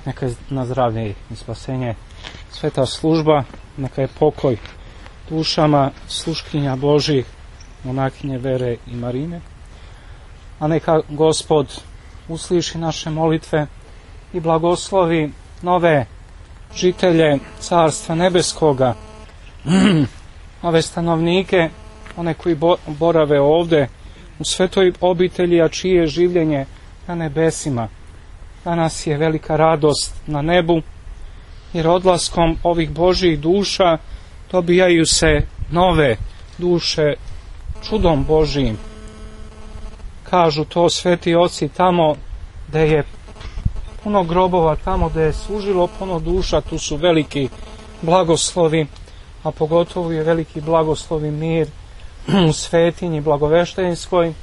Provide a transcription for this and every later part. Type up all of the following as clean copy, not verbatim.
neka je na zdravlje i spasenje sveta služba, neka je pokoj dušama sluškinja Božih, monahinje Vere i Marine, a neka Gospod usliši naše molitve i blagoslovi nove žitelje Carstva Nebeskoga, ove stanovnike, one koji borave ovde u svetoj obitelji, a čije je življenje na nebesima. Danas je velika radost na nebu, jer odlaskom ovih Božjih duša dobijaju se nove duše čudom Božijim. Kažu to sveti oci, tamo gde je puno grobova, tamo gde je služilo puno duša, tu su veliki blagoslovi, a pogotovo je veliki blagoslov i mir u svetinji Blagoveštenskoj,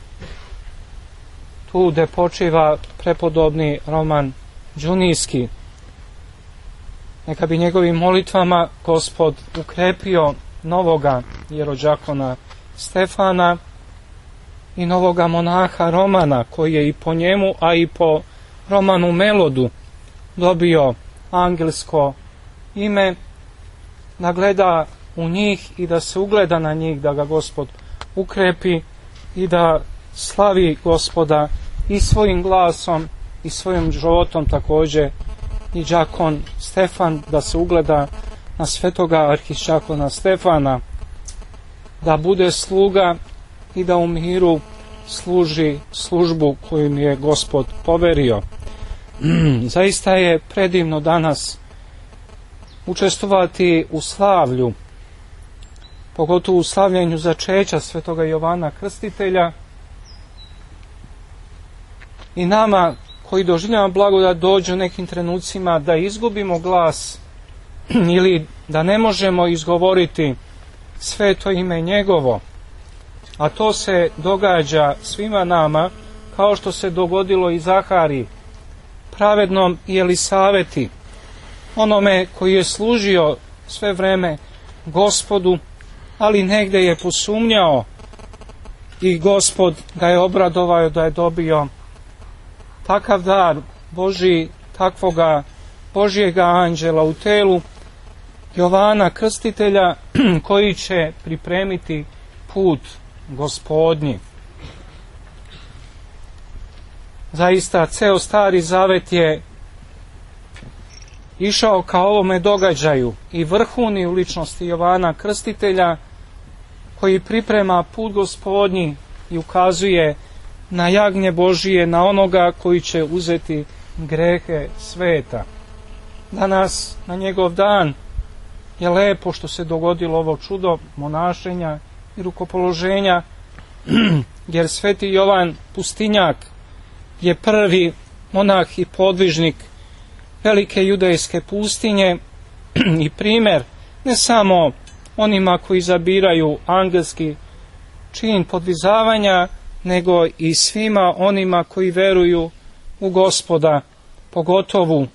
tu gde počiva prepodobni Roman Đunijski. Neka bi njegovim molitvama Gospod ukrepio novoga jerođakona Stefana i novoga monaha Romana, koji je i po njemu, a i po Romanu Melodu dobio angelsko ime, da gleda u njih i da se ugleda na njih, da ga Gospod ukrepi i da slavi Gospoda i svojim glasom i svojim životom, također i đakon Stefan, da se ugleda na svetoga arhiđakona Stefana, da bude sluga i da u miru služi službu koju mi je Gospod poverio. Zaista je predivno danas učestvovati u slavlju, pogotovo u slavljenju začeća svetoga Jovana Krstitelja, i nama koji doživljamo blagodat dođu u nekim trenucima da izgubimo glas ili da ne možemo izgovoriti sveto ime njegovo, a to se događa svima nama, kao što se dogodilo i Zahari, pravednom i Elisaveti, onome koji je služio sve vreme Gospodu, ali negde je posumnjao i Gospod ga je obradovao da je dobio takav dar Božji, takvoga Božjega anđela u telu Jovana Krstitelja, koji će pripremiti put Gospodnji. Zaista, ceo Stari Zavet je išao ka ovome događaju i vrhuni u ličnosti Jovana Krstitelja, koji priprema put Gospodnji i ukazuje na jagnje Božije, na onoga koji će uzeti grehe sveta. Danas, na njegov dan, je lepo što se dogodilo ovo čudo monašenja i rukopoloženja, jer sveti Jovan Pustinjak je prvi monah i podvižnik velike judejske pustinje i primer ne samo onima koji zabiraju angelski čin podvizavanja, nego i svima onima koji veruju u Gospoda, pogotovo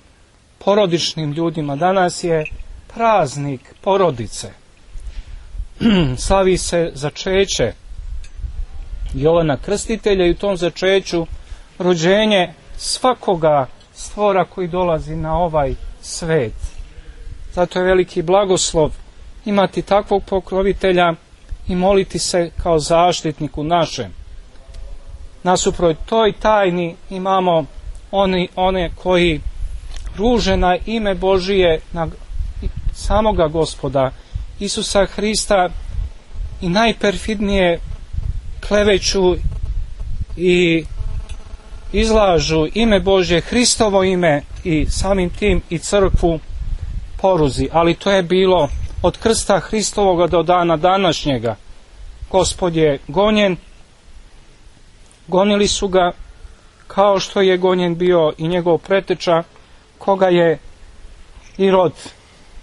porodičnim ljudima. Danas je praznik porodice. Slavi se začeće Jovana Krstitelja i u tom začeću rođenje svakoga stvora koji dolazi na ovaj svet. Zato je veliki blagoslov imati takvog pokrovitelja i moliti se kao zaštitniku našem. Nasuprot toj tajni imamo one koji ruže na ime Božije, na samoga Gospoda Isusa Hrista i najperfidnije kleveću i izlažu ime Božje, Hristovo ime, i samim tim i crkvu poruzi. Ali to je bilo od krsta Hristovoga do dana današnjega. Gospod je gonjen, gonili su ga kao što je gonjen bio i njegov preteča, koga je Irod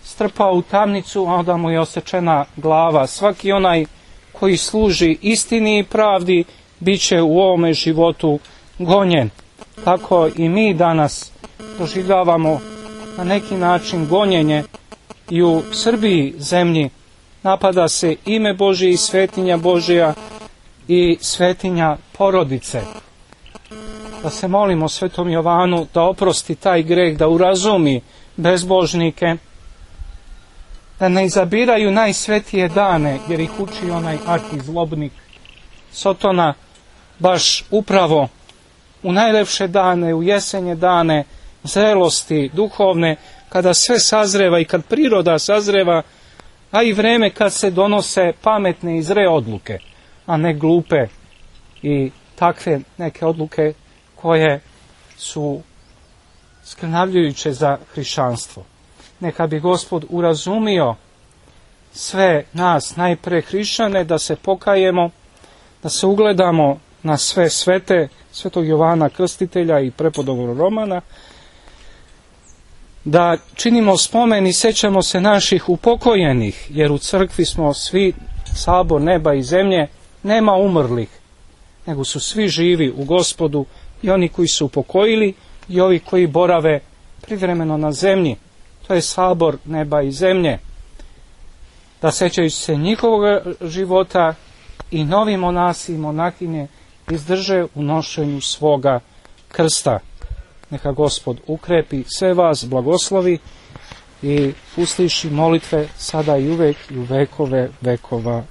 strpao u tamnicu, a onda mu je osečena glava. Svaki onaj koji služi istini i pravdi bit će u ovome životu gonjen. Tako i mi danas doživljavamo na neki način gonjenje i u Srbiji zemlji. Napada se ime Božje i svetinja Božja i svetinja porodice. da se molimo Svetom Jovanu da oprosti taj greh, da urazumi bezbožnike, da ne izabiraju najsvetije dane, jer ih uči onaj arhizlobnik Sotona, baš upravo u najlepše dane, u jesenje dane, zrelosti duhovne, kada sve sazreva i kad priroda sazreva, a i vreme kad se donose pametne i zre odluke, a ne glupe i takve neke odluke koje su skrnavljujuće za hrišćanstvo. Neka bi Gospod urazumio sve nas, najpre hrišćane, da se pokajemo, da se ugledamo na sve svete, Svetog Jovana Krstitelja i prepodobnog Romana, da činimo spomen i sećamo se naših upokojenih, jer u crkvi smo svi sabor neba i zemlje, nema umrlih, nego su svi živi u Gospodu, i oni koji su upokojili i ovi koji borave privremeno na zemlji. To je sabor neba i zemlje. Da sećajući se njihovog života i novi monasi i monahinje izdrže u nošenju svoga krsta. Neka Gospod ukrepi sve vas, blagoslovi i usliši molitve sada i uvek i u vekove vekova.